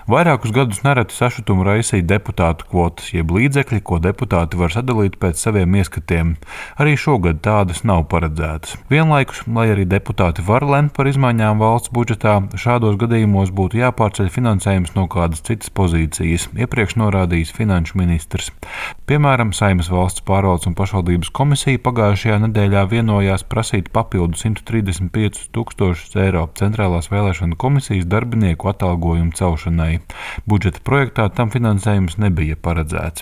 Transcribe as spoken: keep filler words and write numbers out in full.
Vairākus gadus nereti sašutumu raisīja deputātu kvotas, jeb līdzekļi, ko deputāti var sadalīt pēc saviem ieskatiem. Arī šogad tādas nav paredzētas. Vienlaikus, lai arī deputāti var lemt par izmaiņām valsts budžetā, šādos gadījumos būtu jāpārceļ finansējums no kādas citas pozīcijas, iepriekš norādījis finanšu ministrs. Piemēram, Saeimas valsts pārvaldes un pašvaldības komisija pagājušajā nedēļā vienojās prasīt papildu simt trīsdesmit piecus tūkstošus eiro Centrālās vēlēšanu komisijas darbinieku atalgojumu celšanai. Budžeta projektā tam finansējums nebija paredzēts.